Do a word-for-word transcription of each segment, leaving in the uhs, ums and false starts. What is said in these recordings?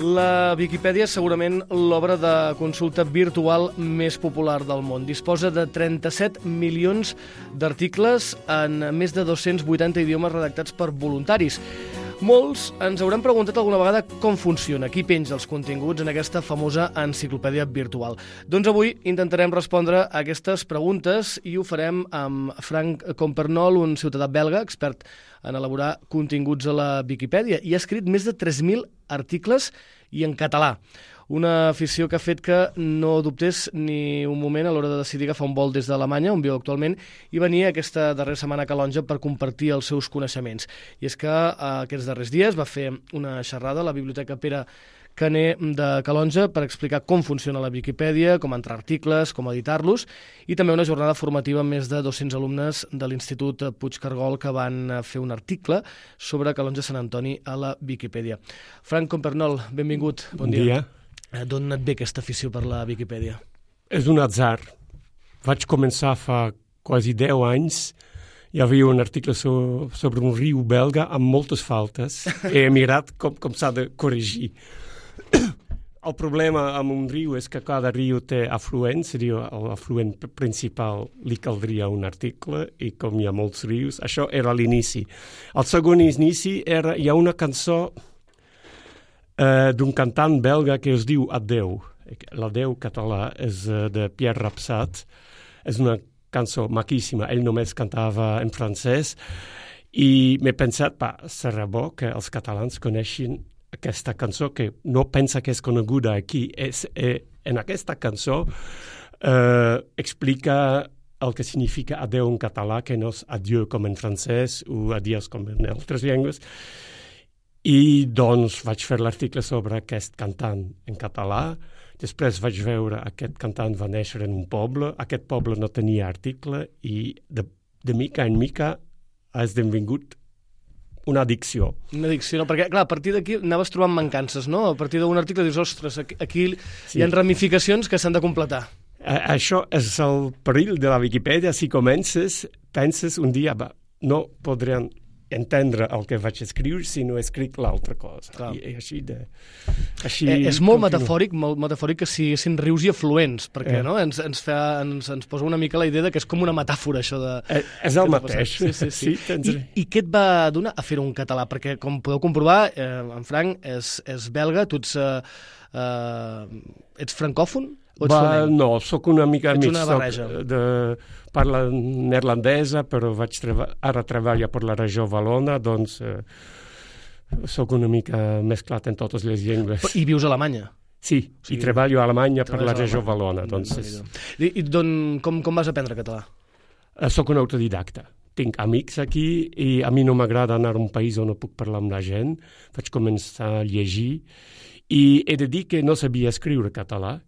La Viquipèdia és segurament l'obra de consulta virtual més popular del món. Disposa de trenta-set milions d'articles en més de dos-cents vuitanta idiomes redactats per voluntaris. Molts ens hauran preguntat alguna vegada com funciona, qui penja els continguts en aquesta famosa enciclopèdia virtual. Doncs avui intentarem respondre a aquestes preguntes i ho farem amb Frank Compernol, un ciutadà belga, expert en elaborar continguts a la Viquipèdia, i ha escrit més de tres mil articles i en català. Una afició que ha fet que no dubtés ni un moment a l'hora de decidir agafar un vol des d'Alemanya, on viu actualment, i venir aquesta darrera setmana a Calonge per compartir els seus coneixements. I és que eh, aquests darrers dies va fer una xerrada a la Biblioteca Pere Caner de Calonge per explicar com funciona la Viquipèdia, com entrar articles, com editar-los, i també una jornada formativa amb més de dos-cents alumnes de l'Institut Puigcargol que van fer un article sobre Calonge Sant Antoni a la Viquipèdia. Frank Compernol, benvingut. Bon dia. Bon dia. D'on et ve aquesta afició per la Viquipèdia? És un atzar. Vaig començar fa quasi deu anys. Hi havia un article so, sobre un riu belga amb moltes faltes. He mirat com, com s'ha de corregir. El problema amb un riu és que cada riu té afluents, seria l'afluent principal li caldria un article, i com hi ha molts rius, això era l'inici. El segon inici era, hi ha una cançó Uh, d'un cantant belga que es diu Adeu. L'Adeu català és uh, de Pierre Rapsat. És una cançó maquíssima. Ell només cantava en francès i m'he pensat, pa, serà bo que els catalans coneixin aquesta cançó que no pensa que és coneguda aquí. És, eh, en aquesta cançó uh, explica el que significa adeu en català, que no és adieu com en francès o adiós com en altres llengües. I doncs vaig fer l'article sobre aquest cantant en català. Després vaig veure aquest cantant va néixer en un poble. Aquest poble no tenia article i de, de mica en mica ha esdevingut una addicció. Una addicció, no? Perquè, clar, a partir d'aquí anaves trobant mancances, no? A partir d'un article dius, ostres, aquí, aquí sí. Hi ha ramificacions que s'han de completar. A, això és el perill de la Viquipèdia. Si comences, penses un dia, va, no podrien entendre el que vaig escriure si no he escrit l'altra cosa. I, i així de... Així eh, és molt metafòric, molt metafòric que siguessin rius i afluents, perquè eh. no? ens, ens, fa, ens, ens posa una mica la idea de que és com una metàfora, això de... Eh, és el mateix. Sí, sí, sí. sí I, I què et va donar a fer-ho en català? Perquè, com podeu comprovar, eh, en Frank és, és belga, tu ets, eh, eh, ets francòfon? Va, no, sóc una mica ets mig. Una barreja. De, parla neerlandesa, però vaig treba, ara treballo per la regió Valona, doncs eh, sóc una mica mesclat en totes les llengües. I vius a Alemanya? Sí, o sigui, i treballo a Alemanya per la regió Valona. Doncs és... I, i don, com, com vas aprendre català? Eh, soc un autodidacta. Tinc amics aquí i a mi no m'agrada anar a un país on no puc parlar amb la gent. Vaig començar a llegir i he de dir que no sabia escriure català,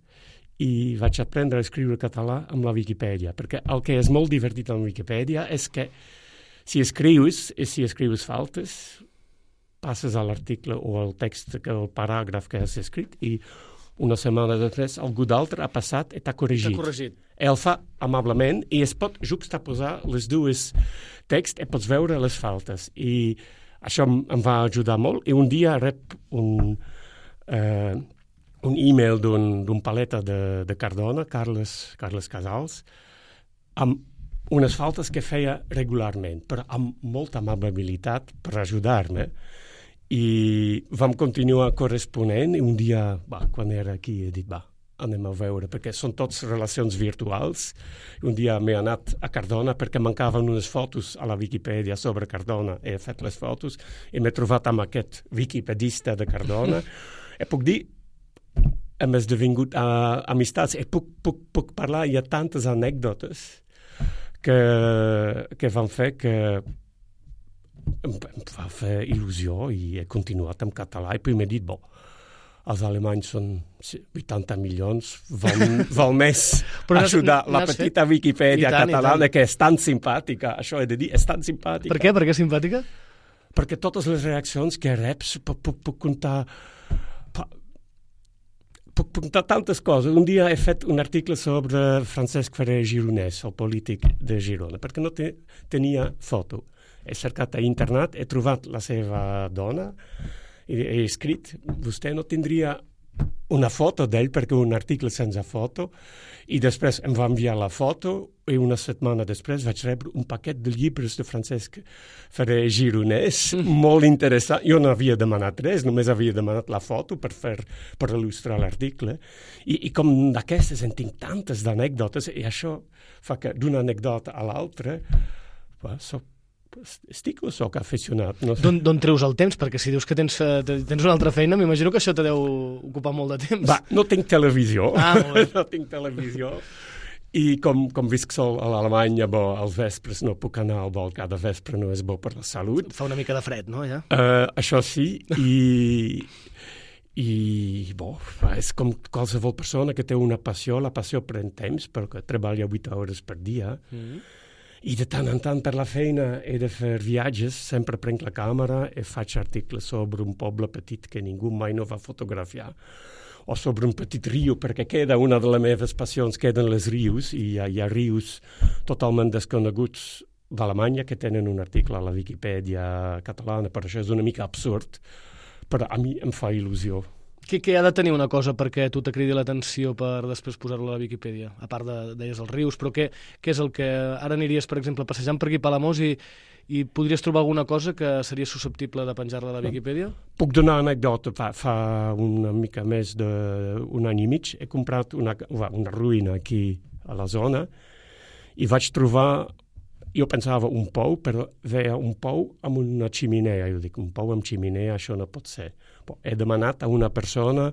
i vaig aprendre a escriure català amb la Viquipèdia, perquè el que és molt divertit amb la Viquipèdia és que si escrius, i si escrius faltes, passes a l'article o al text, el paràgraf que has escrit, i una setmana després algú d'altre ha passat i t'ha corregit. T'ha corregit. Ell fa amablement i es pot juxtaposar les dues texts i pots veure les faltes. I això em va ajudar molt. I un dia rep un... Eh, un e-mail d'un, d'un paleta de, de Cardona, Carles, Carles Casals, amb unes faltes que feia regularment, però amb molta amabilitat per ajudar-me. I vam continuar corresponent i un dia, va, quan era aquí, he dit, va, anem a veure, perquè són tots relacions virtuals. Un dia m'he anat a Cardona perquè mancaven unes fotos a la Viquipèdia sobre Cardona. He fet les fotos i m'he trobat amb aquest wikipedista de Cardona. I puc dir, hem esdevingut uh, amistats i puc, puc, puc parlar, hi ha tantes anècdotes que, que van fer que em, em va fer il·lusió i he continuat en català i puis m'he dit, bo, els alemanys són vuitanta milions, val, val més ajudar la petita fet? Viquipèdia tant, catalana que és tan simpàtica, això he de dir, és tan simpàtica. Per què? Per què simpàtica? Perquè totes les reaccions que reps puc, puc, puc comptar puc contar tantes coses. Un dia he fet un article sobre Francesc Ferrer Gironès, el polític de Girona, perquè no te, tenia foto. He cercat a internet, he trobat la seva dona he escrit, vostè no tindria una foto d'ell perquè un article sense foto, i després em va enviar la foto i una setmana després vaig rebre un paquet de llibres de Francesc Ferrer Gironès, mm. molt interessant. Jo no havia demanat res, només havia demanat la foto per, fer, per il·lustrar l'article. I, i com d'aquestes en tinc tantes d'anècdotes, i això fa que d'una anècdota a l'altra soc estic o soc aficionat? No sé. D'on treus el temps? Perquè si dius que tens, tens una altra feina, m'imagino que això te deu ocupar molt de temps. Va, no tinc televisió. Ah, molt bé. No tinc televisió. I com, com visc sol a l'Alemanya, bo, als vespres no puc anar al vol cada vespre, no és bo per la salut. Fa una mica de fred, no, ja? Uh, això sí, i... I, bo, és com qualsevol persona que té una passió. La passió pren temps, perquè treballa vuit hores per dia. Mm-hmm. I de tant en tant per la feina he de fer viatges, sempre prenc la càmera i faig articles sobre un poble petit que ningú mai no va fotografiar, o sobre un petit riu, perquè queda una de les meves passions, queden les rius, i hi ha, hi ha rius totalment desconeguts d'Alemanya que tenen un article a la Viquipèdia catalana, per això és una mica absurd, però a mi em fa il·lusió. Què, què ha de tenir una cosa perquè tu t'acridi l'atenció per després posar-lo a la Viquipèdia? A part de, deies, els rius, però què, què és el que... Ara aniries, per exemple, passejant per aquí a Palamós i, i podries trobar alguna cosa que seria susceptible de penjar-la a la Viquipèdia? Puc donar una anècdota. Fa, fa una mica més d'un any i mig he comprat una, una ruïna aquí a la zona i vaig trobar... Jo pensava un pou, però veia un pou amb una ximinea. Jo dic, un pou amb ximinea, això no pot ser. Bon, he demanat a una persona,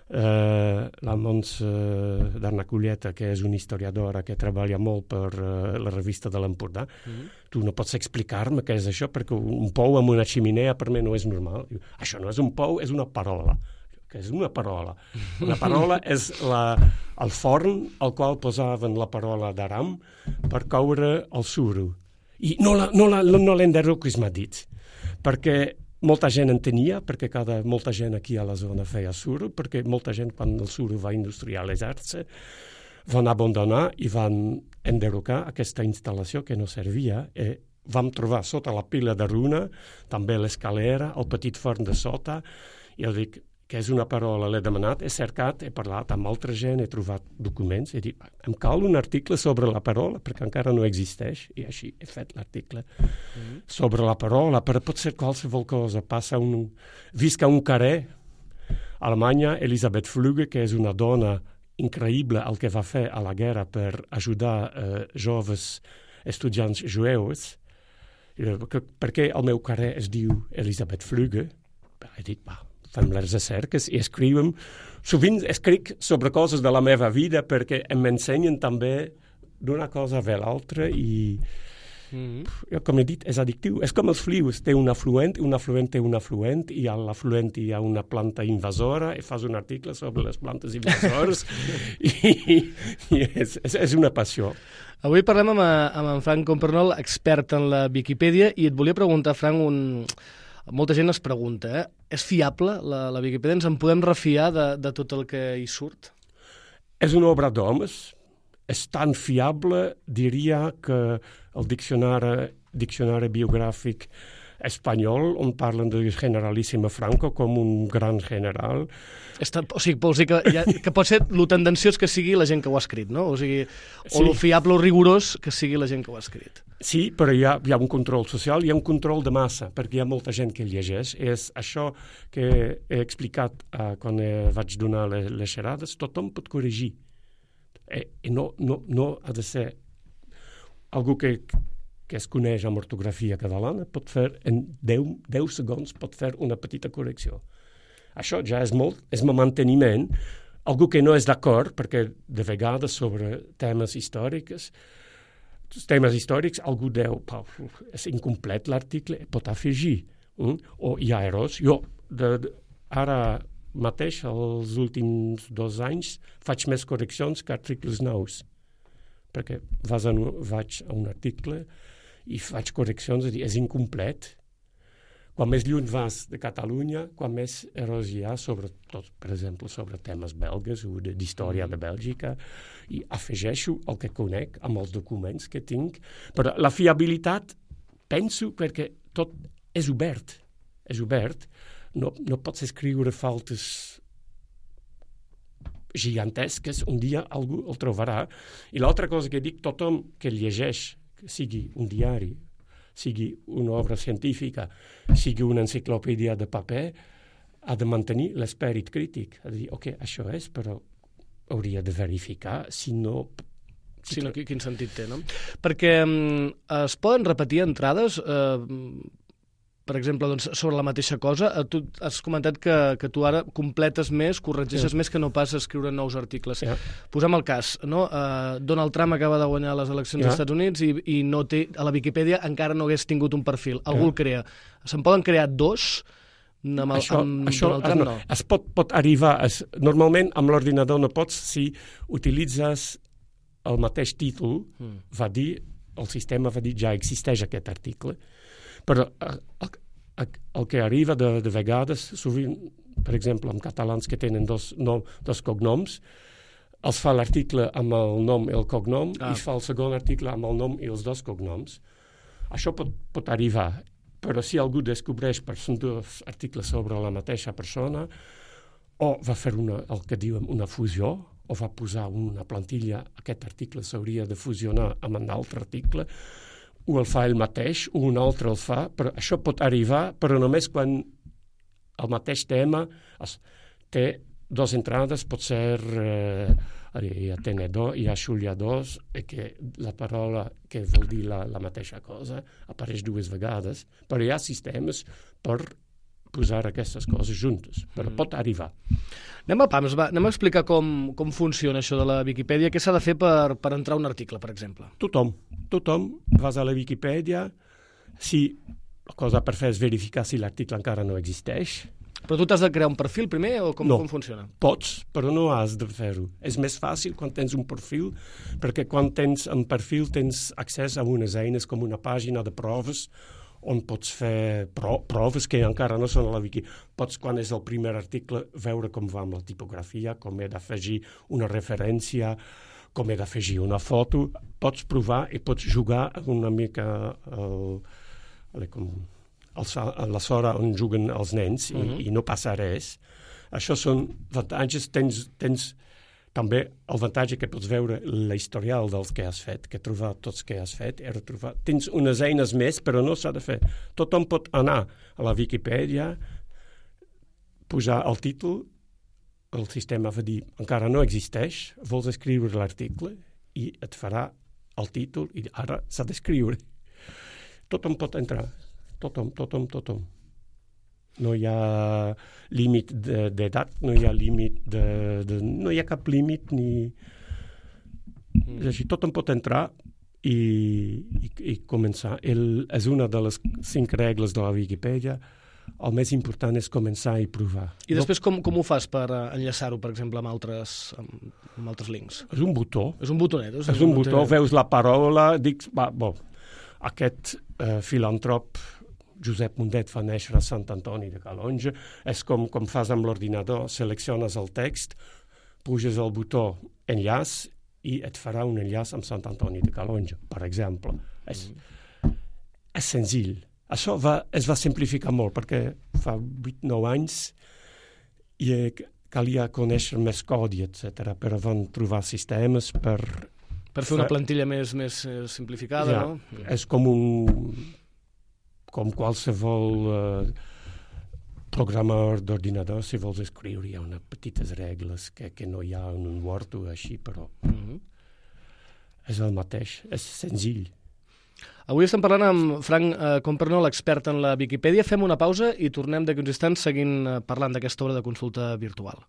eh, la Mons eh, d'Arnaculleta, que és una historiadora que treballa molt per eh, la revista de l'Empordà. Mm-hmm. Tu no pots explicar-me què és això, perquè un pou amb una ximinea per mi no és normal. Diu, això no és un pou, és una parola. Que és una parola. Una parola és la, el forn al qual posaven la parola d'aram per coure el suro. I no, la, no, la, no l'enderroquis m'ha dit, perquè molta gent en tenia, perquè cada, molta gent aquí a la zona feia suro, perquè molta gent, quan el suro va industrialitzar-se, van abandonar i van enderrocar aquesta instal·lació que no servia, i vam trobar sota la pila de runa també l'escalera, el petit forn de sota, i jo dic, que és una parola, l'he demanat, he cercat, he parlat amb altra gent, he trobat documents, he dit, em cal un article sobre la parola, perquè encara no existeix, i així he fet l'article mm-hmm. sobre la parola, però pot ser qualsevol cosa. Passa un... Visca un carrer a Alemanya, Elisabeth Flügge, que és una dona increïble el que va fer a la guerra per ajudar eh, joves estudiants jueus, perquè el meu carrer es diu Elisabeth Flügge. He dit, va, fem les recerques i escrivim. Sovint escric sobre coses de la meva vida perquè m'ensenyen també d'una cosa a l'altra i, mm-hmm. com he dit, és addictiu. És com els flius, té un afluent, un afluent té un afluent, i a l'afluent hi ha una planta invasora i fas un article sobre les plantes invasores i, i és, és, és una passió. Avui parlem amb, amb en Frank Compernol, expert en la Viquipèdia, i et volia preguntar, Frank, un... molta gent es pregunta, eh? És fiable la, la Viquipèdia? Ens en podem refiar de, de tot el que hi surt? És una obra d'homes. És tan fiable, diria, que el diccionari, diccionari biogràfic espanyol, on parlen de Generalíssimo Franco com un gran general. Està, o sigui, vols dir que, ja, que pot ser lo tendenciós que sigui la gent que ho ha escrit, no? O sigui, o sí. Lo fiable o rigorós que sigui la gent que ho ha escrit. Sí, però hi ha, hi ha un control social, hi ha un control de massa, perquè hi ha molta gent que llegeix. És això que he explicat uh, quan eh, vaig donar les, les xerrades, tothom pot corregir. I, i no, no, no ha de ser algú que... que es coneix amb ortografia catalana, pot fer en deu segons pot fer una petita correcció. Això ja és molt, és un manteniment. Algú que no és d'acord, perquè de vegades sobre temes històrics, temes històrics, algú deu, és incomplet l'article, pot afegir. Mm? O hi ha errors. Jo, de, de, ara mateix, els últims dos anys, faig més correccions que articles nous. Perquè vas a, vaig a un article i faig correccions, és, dir, és incomplet. Quan més lluny vas de Catalunya, quan més errors hi ha, sobretot, per exemple, sobre temes belgues o d'història de Bèlgica, i afegeixo el que conec amb els documents que tinc. Però la fiabilitat, penso, perquè tot és obert. És obert. no, no pots escriure faltes gigantesques, un dia algú el trobarà. I l'altra cosa que dic, tothom que llegeix, que sigui un diari, sigui una obra científica, sigui una enciclopèdia de paper, ha de mantenir l'esperit crític. Ha de dir, ok, això és, però hauria de verificar, si no... Si no, quin sentit té, no? Perquè um, es poden repetir entrades, eh, per exemple, doncs, sobre la mateixa cosa. Tu has comentat que, que tu ara completes més, corregeixes sí. més que no pas escriure nous articles. Sí. Posem el cas, no? Uh, Donald Trump acaba de guanyar les eleccions sí. als Estats Units i, i no té, a la Viquipèdia encara no hagués tingut un perfil. Algú sí. el crea. Se'n poden crear dos? Amb el, això, amb això Donald Trump, no. Es pot, pot arribar... Es, normalment, amb l'ordinador no pots si utilitzes el mateix títol, mm. va dir, el sistema va dir, ja existeix aquest article. Però el, el, el que arriba de, de vegades, sovint, per exemple, amb catalans que tenen dos, no, dos cognoms, els fa l'article amb el nom i el cognom, ah. i es fa el segon article amb el nom i els dos cognoms. Això pot, pot arribar, però si algú descobreix per són dos articles sobre la mateixa persona, o va fer una, el que diuen una fusió, o va posar una plantilla, aquest article s'hauria de fusionar amb un altre article, o el fa ell mateix, o un altre el fa, però això pot arribar, però només quan el mateix tema té dues entrades, pot ser eh, hi ha tenedor, hi ha xuliadors, i que la paraula que vol dir la, la mateixa cosa apareix dues vegades, però hi ha sistemes per posar aquestes coses juntes, però mm. pot arribar. Anem a pams, va. Anem a explicar com, com funciona això de la Viquipèdia. Què s'ha de fer per, per entrar a un article, per exemple? Tothom. Tothom vas a la Viquipèdia. Si la cosa per fer és verificar si l'article encara no existeix. Però tu t'has de crear un perfil primer o com, no, com funciona? Pots, però no has de fer-ho. És més fàcil quan tens un perfil, perquè quan tens un perfil tens accés a unes eines com una pàgina de proves on pots fer pro proves que encara no són a la Wiki. Pots, quan és el primer article, veure com va amb la tipografia, com he d'afegir una referència, com he d'afegir una foto. Pots provar i pots jugar una mica el, el, com, el, a la sora on juguen els nens i, uh-huh. i no passa res. Això són avantatges. Tens, tens també el avantatge que pots veure l'historial dels que has fet, que trobar tots que has fet, he retrobat. Tens unes eines més, però no s'ha de fer. Tothom pot anar a la Viquipèdia, posar el títol, el sistema va dir, encara no existeix, vols escriure l'article i et farà el títol i ara s'ha d'escriure. Tothom pot entrar. Tothom, tothom, tothom. No hi ha límit d'edat, no hi ha límit de, de... no hi ha cap límit ni... Mm. És així, tothom pot entrar i, i, i començar. El, és una de les cinc regles de la Viquipèdia. El més important és començar i provar. I després com, com ho fas per enllaçar-ho, per exemple, amb altres, amb, amb altres links? És un botó. És un botonet. És, és un botó, veus la paraula, dic, va, bo, aquest eh, filantrop Josep Mundet va néixer a Sant Antoni de Calonge. És com, com fas amb l'ordinador, selecciones el text, puges el botó enllaç i et farà un enllaç amb Sant Antoni de Calonge, per exemple. És, és senzill. Això va, es va simplificar molt, perquè fa vuit nou anys i calia conèixer més codi, etcètera, però van trobar sistemes per... Per fer una plantilla més, més simplificada, ja, no? És com un... com qualsevol uh, programador d'ordinador, si vols escriure, hi ha unes petites regles que, que no hi ha en un Word o així, però mm-hmm. és el mateix, és senzill. Avui estem parlant amb Frank eh, Compernol, expert en la Viquipèdia. Fem una pausa i tornem d'aquí uns instants seguint eh, parlant d'aquesta obra de consulta virtual.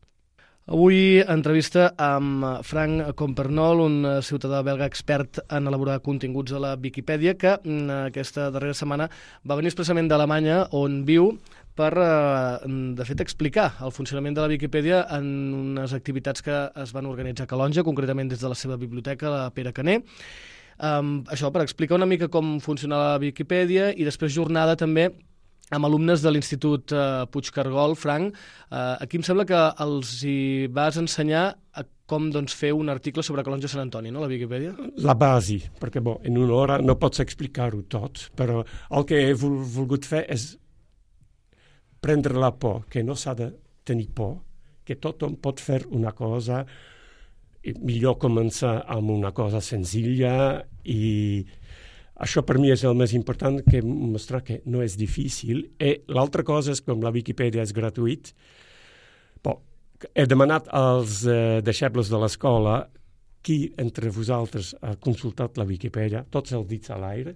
Avui entrevista amb Frank Compernol, un ciutadà belga expert en elaborar continguts a la Viquipèdia, que aquesta darrera setmana va venir expressament d'Alemanya, on viu, per, de fet, explicar el funcionament de la Viquipèdia en unes activitats que es van organitzar a Calonge, concretament des de la seva biblioteca, la Pere Caner. Um, això, per explicar una mica com funciona la Viquipèdia, i després jornada també amb alumnes de l'Institut uh, Puigcargol. Frank, uh, aquí em sembla que els hi vas ensenyar a com doncs, fer un article sobre Calonge Sant Antoni, no, la Viquipèdia? La base, perquè bo, en una hora no pots explicar-ho tot, però el que he vol, volgut fer és prendre la por, que no s'ha de tenir por, que tothom pot fer una cosa, millor començar amb una cosa senzilla, i això per mi és el més important, que mostrar que no és difícil. I l'altra cosa és, com la Viquipèdia és gratuït, bon, he demanat als eh, deixebles de l'escola qui entre vosaltres ha consultat la Viquipèdia, tots els dits a l'aire,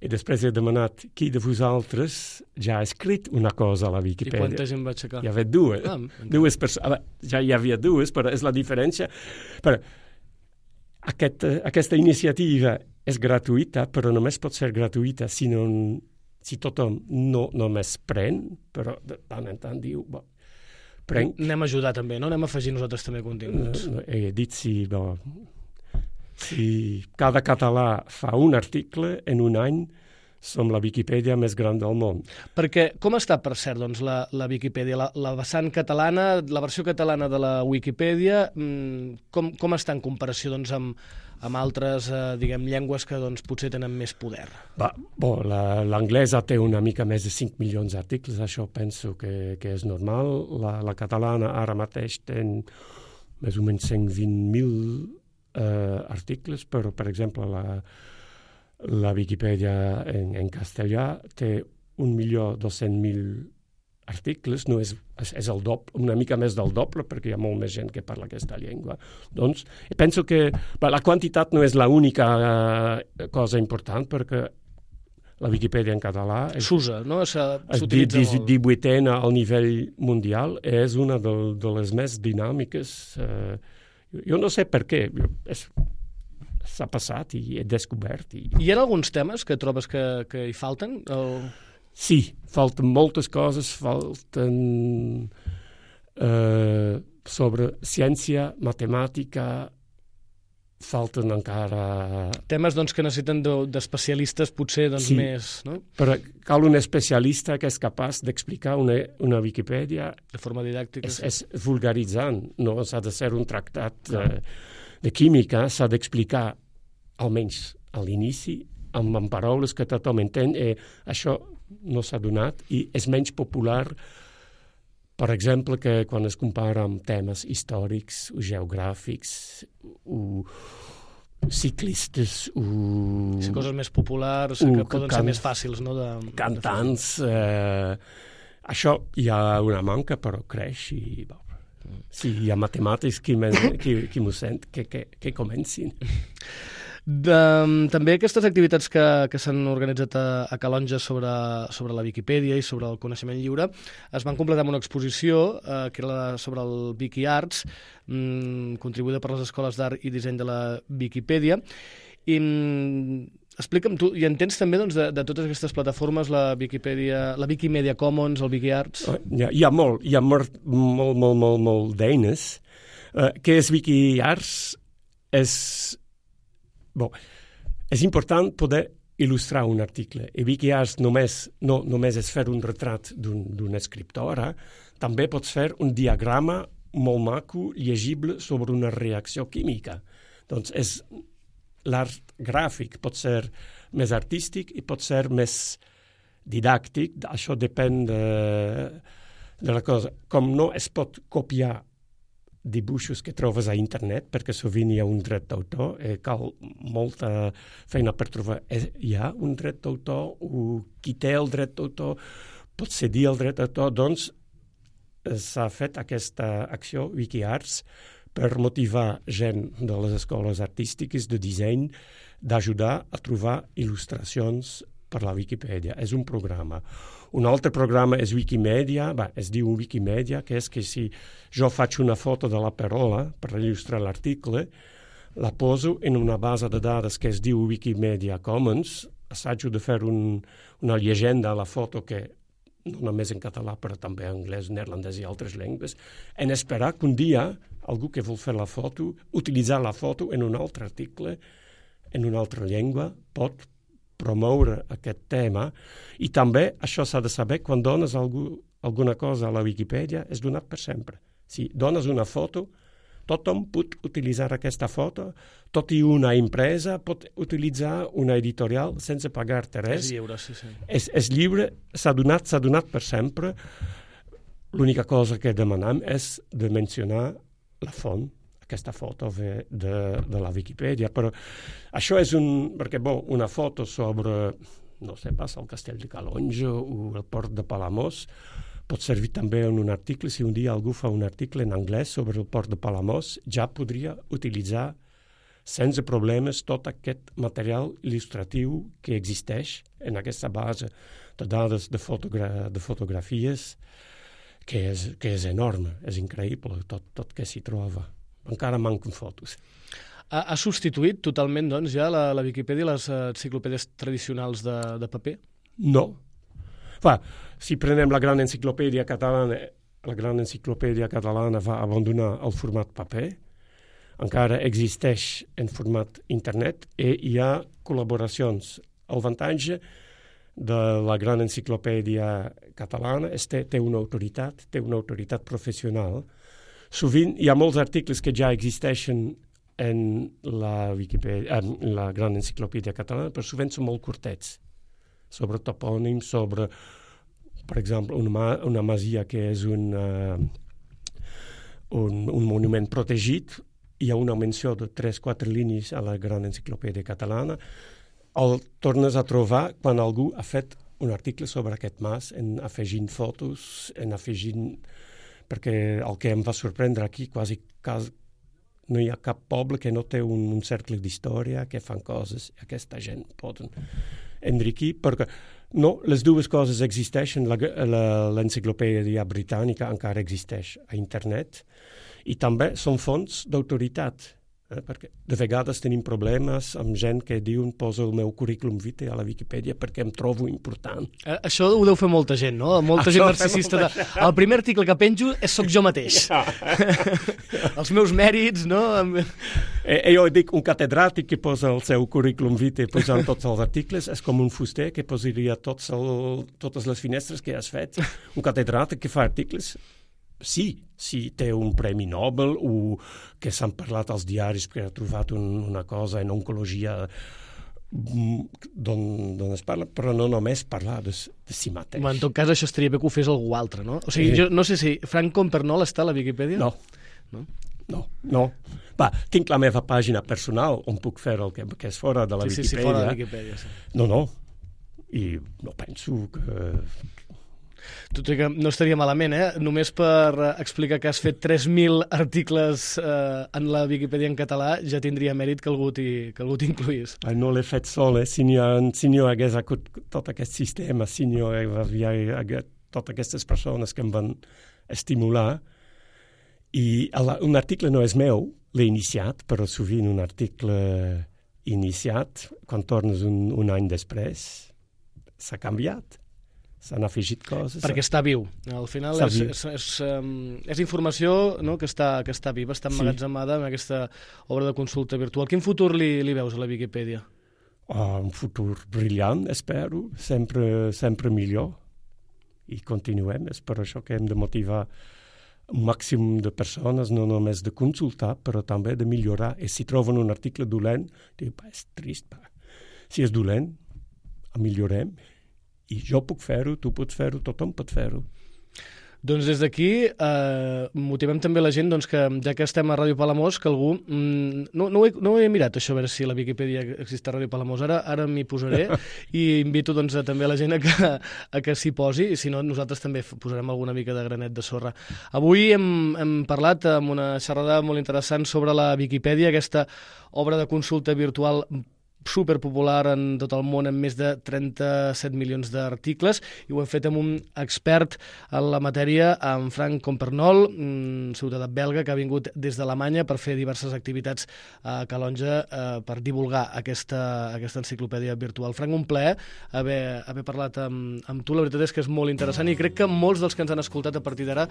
i després he demanat qui de vosaltres ja ha escrit una cosa a la Viquipèdia. I quanta gent va aixecar? Hi havia dues. Ah, dues persones. Ja hi havia dues, però és la diferència. Però aquest, aquesta iniciativa és gratuïta, però només pot ser gratuïta si, no, si tothom no només pren, però de tant en tant diu... Bo, pren. Anem a ajudar també, no? Anem a afegir nosaltres també continguts. No, no, he dit si... Bo, si cada català fa un article en un any, som la Viquipèdia més gran del món. Perquè com està, per cert, doncs, la, la Viquipèdia, la, la vessant catalana, la versió catalana de la Viquipèdia, com, com està en comparació doncs, amb, amb altres eh, diguem, llengües que doncs, potser tenen més poder? Va, bo, l'anglesa té una mica més de cinc milions d'articles, això penso que, que és normal. La, la catalana ara mateix té més o menys cent vint mil Uh, articles, però, per exemple, la, la Viquipèdia en, en castellà té un milió dos-cents mil articles, no és, és, és el doble, una mica més del doble, perquè hi ha molt més gent que parla aquesta llengua. Doncs, penso que bé, la quantitat no és l'única uh, cosa important, perquè la Viquipèdia en català s'usa, no? S'utilitza molt. divuitena al nivell mundial, és una de, de les més dinàmiques. Uh, Jo no sé per què, s'ha passat i he descobert. I... Hi ha alguns temes que trobes que, que hi falten? O... Sí, falten moltes coses, falten eh, sobre ciència, matemàtica, falten encara... Temes doncs, que necessiten d'especialistes potser doncs, sí, més... No? Però cal un especialista que és capaç d'explicar una, una Viquipèdia de forma didàctica. És, és vulgaritzant, no s'ha de ser un tractat eh, de química, s'ha d'explicar almenys a l'inici amb, amb paraules que tothom entén, i això no s'ha donat i és menys popular. Per exemple, que quan es compara amb temes històrics o geogràfics o ciclistes o... Sí, coses més populars, o, que poden can... ser més fàcils, no? De, cantants. De eh, això hi ha una manca, però creix i... Sí, hi ha matemàtics qui, qui, qui m'ho sent, que, que, que comencin. De, també aquestes activitats que, que s'han organitzat a, a Calonge sobre, sobre la Viquipèdia i sobre el coneixement lliure es van completar amb una exposició eh, que era sobre el Viquiarts, mm, contribuïda per les escoles d'art i disseny de la Viquipèdia. I mm, explica'm, tu hi entens també doncs, de, de totes aquestes plataformes, la Viquipèdia, la Wikimedia Commons, el Viquiarts? Hi ha, hi ha molt, hi ha molt, molt, molt, molt, molt d'eines. Uh, què és Viquiarts? És... Bon, és important poder il·lustrar un article. I Viquiarts només, no, només és fer un retrat d'una un escriptora, també pots fer un diagrama molt maco, llegible, sobre una reacció química. Doncs és l'art gràfic, pot ser més artístic i pot ser més didàctic, això depèn de, de la cosa. Com no es pot copiar dibuixos que trobes a internet, perquè sovint hi ha un dret d'autor, eh, cal molta feina per trobar. Eh, hi ha un dret d'autor, o qui té el dret d'autor pot cedir el dret d'autor, doncs eh, s'ha fet aquesta acció Viquiarts per motivar gent de les escoles artístiques de disseny d'ajudar a trobar il·lustracions per la Viquipèdia. És un programa. Un altre programa és Wikimedia, bé, es diu Wikimedia, que és que si jo faig una foto de la Perola per il·lustrar l'article, la poso en una base de dades que es diu Wikimedia Commons, assajo de fer un, una llegenda a la foto que no només en català, però també en anglès, neerlandès i altres llengües, en esperar que un dia algú que vol fer la foto, utilitzar la foto en un altre article, en una altra llengua, pot promoure aquest tema. I també això s'ha de saber, quan dones algú, alguna cosa a la Viquipèdia, és donat per sempre. Si dones una foto, Tothom pot utilitzar aquesta foto, tot i una empresa pot utilitzar una editorial sense pagar-te res. És lliure, sí, sí. És, és lliure, s'ha donat, s'ha donat per sempre. L'única cosa que demanem és de mencionar la font, aquesta foto de, de, de la Viquipèdia, però això és un... perquè, bon, una foto sobre, no sé pas, el castell de Calonge o el port de Palamós pot servir també en un article. Si un dia algú fa un article en anglès sobre el port de Palamós, ja podria utilitzar sense problemes tot aquest material il·lustratiu que existeix en aquesta base de dades de, fotogra de fotografies, que és, que és enorme, és increïble tot, tot que s'hi troba. Encara manquen fotos. Ha, ha substituït totalment, doncs, ja la, la Viquipèdia les enciclopèdies tradicionals de, de paper? No. Va, si prenem la gran enciclopèdia catalana, la gran enciclopèdia catalana va abandonar el format paper, encara existeix en format internet i hi ha col·laboracions. El avantatge de la gran enciclopèdia catalana és que té una autoritat, té una autoritat professional. Sovint hi ha molts articles que ja existeixen en la, Viquipèdia, en la gran enciclopèdia catalana, però sovint són molt curtets, sobre topònims, sobre, per exemple, una, una masia que és un, uh, un, un monument protegit. Hi ha una menció de tres o quatre línies a la gran enciclopèdia catalana. El tornes a trobar quan algú ha fet un article sobre aquest mas, en afegint fotos, en afegint... perquè el que em va sorprendre aquí, quasi, quasi no hi ha cap poble que no té un, un cercle d'història, que fan coses, i aquesta gent poden enriquir, perquè no, les dues coses existeixen. L'enciclopèdia britànica encara existeix a internet i també són fonts d'autoritat, eh? Perquè de vegades tenim problemes amb gent que diuen posa el meu currículum vitae a la Viquipèdia perquè em trobo important. Eh, això ho deu fer molta gent, no? Molta això gent narcisista. Molta... De... El primer article que penjo és soc jo mateix. Ja. Els meus mèrits, no? Eh, jo dic un catedràtic que posa el seu currículum vitae posant tots els articles, és com un fuster que posaria tots el, totes les finestres que has fet. Un catedràtic que fa articles, sí, sí, té un premi Nobel o que s'han parlat als diaris perquè ha trobat un, una cosa en oncologia d'on es parla, però no només parlar de, de si mateix. En tot cas, això estaria bé que ho fes algú altre, no? O sigui, jo no sé si Frank Compernol està a la Viquipèdia? No. No? No, no. Va, tinc la meva pàgina personal on puc fer el que, que és fora de la sí, Viquipèdia. Sí, sí, fora de la Viquipèdia, sí. No, no. I no penso que... Tot i que no estaria malament, eh? Només per explicar que has fet tres mil articles eh, en la Viquipèdia en català ja tindria mèrit que algú t'incluís. No l'he fet sol, eh? Si no si hagués hagut tot aquest sistema, si no hi hagués totes aquestes persones que em van estimular. I un article no és meu, l'he iniciat, però sovint un article iniciat, quan tornes un, un any després, s'ha canviat. S'han afegit coses. Perquè està viu. Al final és, és, és, és informació, no?, que, està, que està viva, està emmagatzemada en aquesta obra de consulta virtual. Quin futur li, li veus a la Viquipèdia? Oh, un futur brillant, espero. Sempre, sempre millor. I continuem. És per això que hem de motivar un màxim de persones, no només de consultar, però també de millorar. I si troben un article dolent, diu, és trist. Pa. Si és dolent, millorem. I jo puc fer-ho, tu pots fer-ho, tothom pot fer-ho. Doncs des d'aquí eh, motivem també la gent doncs, que ja que estem a Ràdio Palamós, que algú... Mm, no, no, ho he, no ho he mirat, això, a veure si a la Viquipèdia existe a Ràdio Palamós. Ara, ara m'hi posaré i invito doncs, a, també a la gent a que, a que s'hi posi, i si no, nosaltres també posarem alguna mica de granet de sorra. Avui hem, hem parlat amb una xerrada molt interessant sobre la Viquipèdia, aquesta obra de consulta virtual superpopular en tot el món, amb més de trenta-set milions d'articles, i ho hem fet amb un expert en la matèria, en Frank Compernol, ciutadà belga que ha vingut des d'Alemanya per fer diverses activitats a Calonge eh, per divulgar aquesta, aquesta enciclopèdia virtual. Frank, un plaer haver, haver parlat amb, amb tu. La veritat és que és molt interessant i crec que molts dels que ens han escoltat a partir d'ara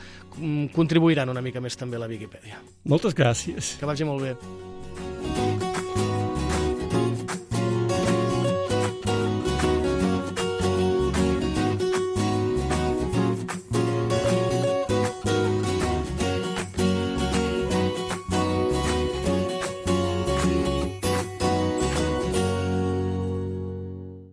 contribuiran una mica més també a la Viquipèdia. Moltes gràcies. Que vagi molt bé.